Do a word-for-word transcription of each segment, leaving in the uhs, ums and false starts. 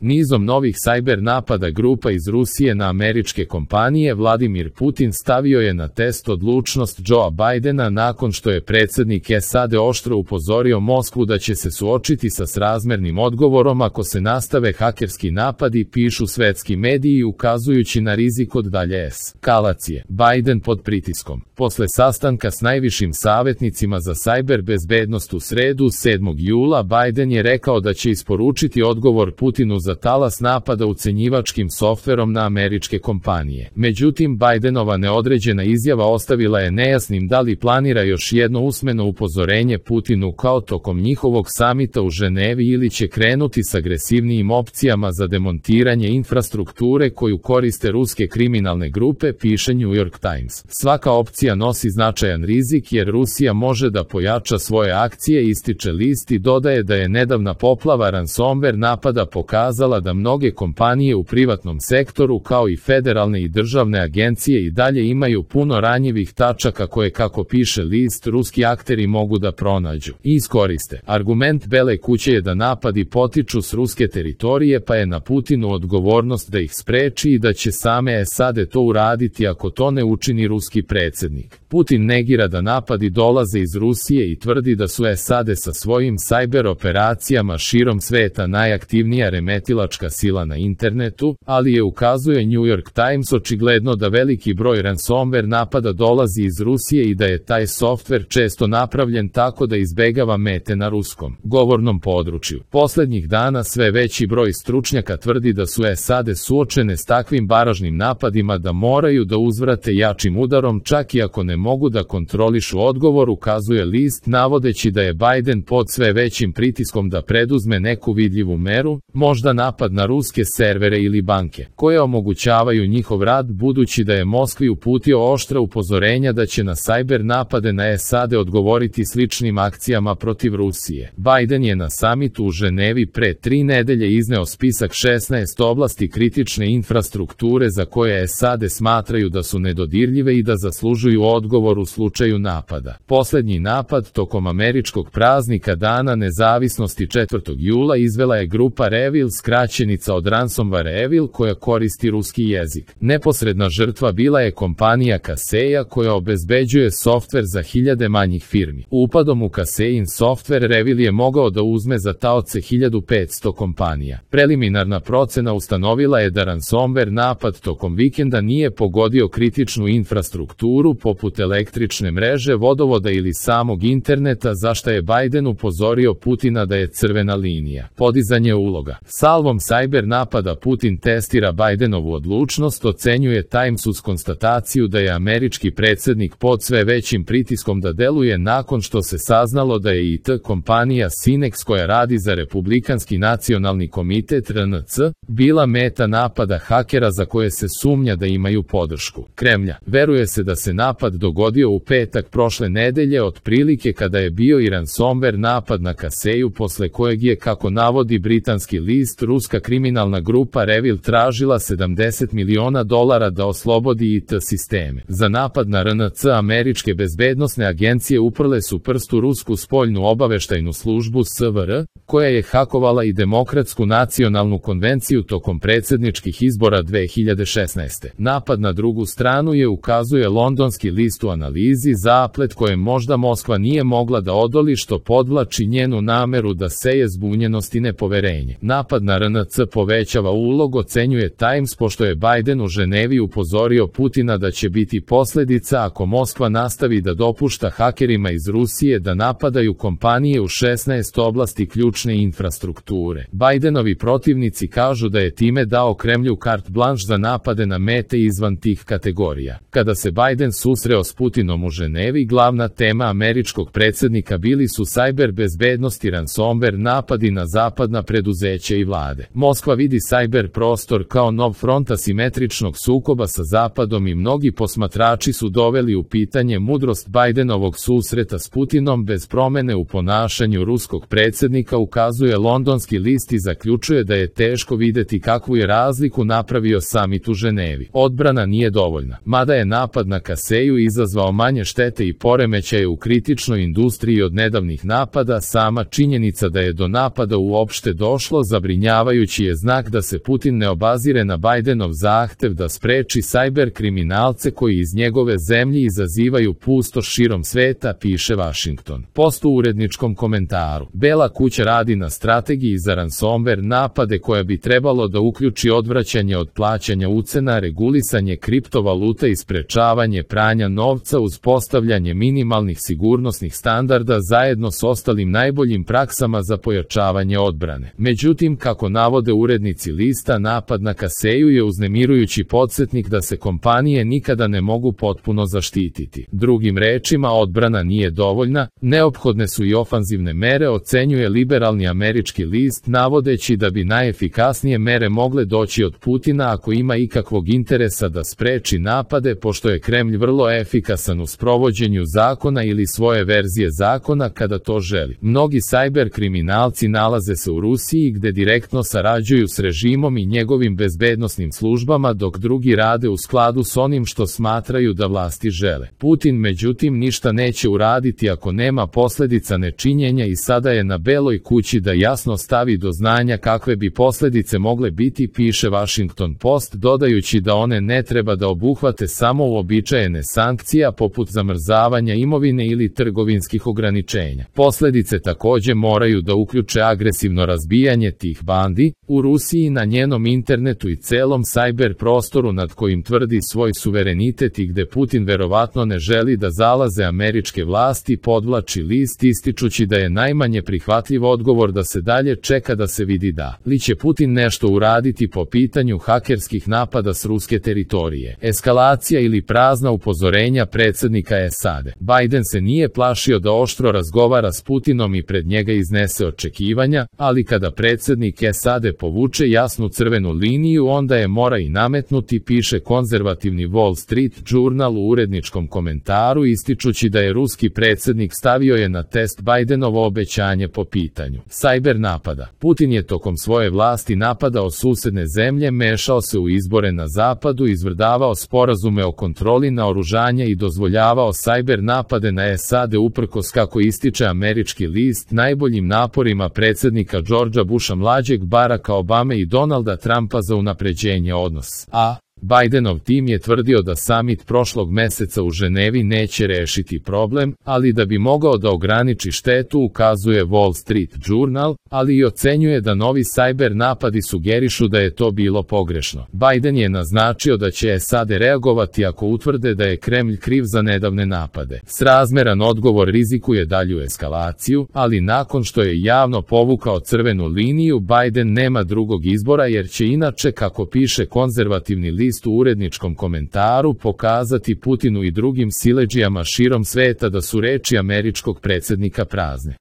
Nizom novih sajber napada grupa iz Rusije na američke kompanije Vladimir Putin stavio je na test odlučnost Joea Bidena nakon što je predsjednik S A D oštro upozorio Moskvu da će se suočiti sa srazmernim odgovorom ako se nastave hakerski napadi, pišu svetski mediji ukazujući na rizik od dalje eskalacije. Biden pod pritiskom. Posle sastanka s najvišim savjetnicima za sajber bezbednost u sredu sedmog jula Biden je rekao da će isporučiti odgovor Putinu za talas napada ucenjivačkim softverom na američke kompanije. Međutim, Bidenova neodređena izjava ostavila je nejasnim da li planira još jedno usmeno upozorenje Putinu kao tokom njihovog samita u Ženevi ili će krenuti s agresivnijim opcijama za demontiranje infrastrukture koju koriste ruske kriminalne grupe, piše New York Times. Svaka opcija nosi značajan rizik jer Rusija može da pojača svoje akcije, ističe list i dodaje da je nedavna poplava ransomware napada pokazala da mnoge kompanije u privatnom sektoru kao i federalne i državne agencije i dalje imaju puno ranjivih tačaka koje, kako piše list, ruski akteri mogu da pronađu i iskoriste. Argument Bele kuće je da napadi potiču s ruske teritorije pa je na Putinu odgovornost da ih spreči i da će same S A D to uraditi ako to ne učini ruski predsjednik. Putin negira da napadi dolaze iz Rusije i tvrdi da su S A D sa svojim sajber operacijama širom sveta najaktivnija remetilačka sila na internetu, ali je, ukazuje New York Times, očigledno da veliki broj ransomware napada dolazi iz Rusije i da je taj softver često napravljen tako da izbegava mete na ruskom govornom području. Poslednjih dana sve veći broj stručnjaka tvrdi da su S A D suočene s takvim baražnim napadima da moraju da uzvrate jačim udarom čak i ako ne mogu da kontrolišu odgovor, ukazuje list, navodeći da je Biden pod sve većim pritiskom da preduzme neku vidljivu meru, možda napad na ruske servere ili banke, koje omogućavaju njihov rad, budući da je Moskvi uputio oštra upozorenja da će na sajber napade na S A D odgovoriti sličnim akcijama protiv Rusije. Biden je na samitu u Ženevi pre tri nedelje izneo spisak šesnaest oblasti kritične infrastrukture za koje S A D smatraju da su nedodirljive i da zaslužuju odgovor u slučaju napada. Poslednji napad tokom američkog praznika Dana nezavisnosti četvrtog jula izvela je grupa Revil, skraćenica od ransomware Revil, koja koristi ruski jezik. Neposredna žrtva bila je kompanija Kaseya koja obezbeđuje softver za hiljade manjih firmi. Upadom u Kaseyin softver Revil je mogao da uzme za taoce hiljadu petsto kompanija. Preliminarna procena ustanovila je da ransomware napad tokom vikenda nije pogodio kritičnu infrastrukturu poput električne mreže, vodovoda ili samog interneta, za šta je Biden upozorio Putina da je crvena linija. Podizanje uloga. Salvom sajber napada Putin testira Bidenovu odlučnost, ocenjuje Times uz konstataciju da je američki predsjednik pod sve većim pritiskom da deluje nakon što se saznalo da je I T kompanija Synex, koja radi za Republikanski nacionalni komitet R N C, bila meta napada hakera za koje se sumnja da imaju podršku Kremlja. Veruje se da se napad dogodio u petak prošle nedelje, otprilike kada je bio i ransomware napad na Kaseyu, posle kojeg je, kako navodi britanski list, ruska kriminalna grupa Revil tražila sedamdeset miliona dolara da oslobodi I T sisteme. Za napad na R N C američke bezbednosne agencije uprle su prstu rusku spoljnu obaveštajnu službu S V R, koja je hakovala i Demokratsku nacionalnu konvenciju tokom predsjedničkih izbora dve hiljade šesnaeste. Napad na drugu stranu je, ukazuje londonski list u analizi, zaplet kojem možda Moskva nije mogla da odoli, što podvlači njenu nameru da seje zbunjenost i nepoverenje. Napad na R N C povećava ulog, ocenjuje Times, pošto je Biden u Ženevi upozorio Putina da će biti posljedica ako Moskva nastavi da dopušta hakerima iz Rusije da napadaju kompanije u šesnaest oblasti ključne infrastrukture. Bidenovi protivnici kažu da je time dao Kremlju carte blanche za napade na mete izvan tih kategorija. Kada se Biden susreo s Putinom u Ženevi, glavna tema američkog predsjednika bili su sajber bezbednost i ransomware napadi na zapadna preduzeća i vlade. Moskva vidi sajber prostor kao nov front asimetričnog sukoba sa Zapadom i mnogi posmatrači su doveli u pitanje mudrost Bidenovog susreta s Putinom bez promene u ponašanju ruskog predsjednika, ukazuje londonski list i zaključuje da je teško videti kakvu je razliku napravio samit u Ženevi. Odbrana nije dovoljna. Mada je napad na Kaseyu izazvao manje štete i poremećaje u kritičnoj industriji od nedavnih napada, sama činjenica da je do napada uopšte došlo zabrinjava zabrinjavajući je znak da se Putin ne obazire na Bajdenov zahtev da spreči sajber kriminalce koji iz njegove zemlje izazivaju pustoš širom sveta, piše Washington Post u uredničkom komentaru. Bela kuća radi na strategiji za ransomware napade koja bi trebalo da uključi odvraćanje od plaćanja ucena, regulisanje kriptovaluta i sprečavanje pranja novca uz postavljanje minimalnih sigurnosnih standarda zajedno s ostalim najboljim praksama za pojačavanje odbrane. Međutim, kako navode urednici lista, napad na Kaseju je uznemirujući podsjetnik da se kompanije nikada ne mogu potpuno zaštititi. Drugim rečima, odbrana nije dovoljna, neophodne su i ofanzivne mere, ocenjuje liberalni američki list, navodeći da bi najefikasnije mere mogle doći od Putina ako ima ikakvog interesa da spreči napade, pošto je Kremlj vrlo efikasan u sprovođenju zakona ili svoje verzije zakona kada to želi. Mnogi sajber kriminalci nalaze se u Rusiji gde direktno sarađuju s režimom i njegovim bezbednosnim službama, dok drugi rade u skladu s onim što smatraju da vlasti žele. Putin međutim ništa neće uraditi ako nema posledica nečinjenja i sada je na Beloj kući da jasno stavi do znanja kakve bi posledice mogle biti, piše Washington Post, dodajući da one ne treba da obuhvate samo uobičajene sankcija poput zamrzavanja imovine ili trgovinskih ograničenja. Posledice takođe moraju da uključe agresivno razbijanje tih bandi u Rusiji, na njenom internetu i celom sajber prostoru nad kojim tvrdi svoj suverenitet i gde Putin verovatno ne želi da zalaze američke vlasti, podvlači list, ističući da je najmanje prihvatljiv odgovor da se dalje čeka da se vidi da li će Putin nešto uraditi po pitanju hakerskih napada s ruske teritorije. Eskalacija ili prazna upozorenja predsednika S A D. Biden se nije plašio da oštro razgovara s Putinom i pred njega iznese očekivanja, ali kada predsednik S A D povuče jasnu crvenu liniju, onda je mora i nametnuti, piše konzervativni Wall Street Journal u uredničkom komentaru, ističući da je ruski predsednik stavio je na test Bidenovo obećanje po pitanju sajber napada. Putin je tokom svoje vlasti napadao susedne zemlje, mešao se u izbore na zapadu, izvrdavao sporazume o kontroli naoružanja i dozvoljavao sajber napade na S A D uprkos, kako ističe američki list, najboljim naporima predsednika Georgea Busha mlađeg, Baracka Obame i Donalda Trumpa za unapređenje odnosa. A Bidenov tim je tvrdio da samit prošlog meseca u Ženevi neće rešiti problem, ali da bi mogao da ograniči štetu, ukazuje Wall Street Journal, ali i ocenjuje da novi sajber napadi sugerišu da je to bilo pogrešno. Biden je naznačio da će S A D reagovati ako utvrde da je Kremlj kriv za nedavne napade. Srazmeran odgovor rizikuje dalju eskalaciju, ali nakon što je javno povukao crvenu liniju, Biden nema drugog izbora jer će inače, kako piše konzervativni list u uredničkom komentaru, pokazati Putinu i drugim siledžijama širom sveta da su reči američkog predsednika prazne.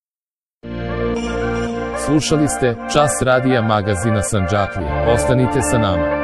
Slušali ste Čas radija magazina Sandžaklija. Ostanite sa nama.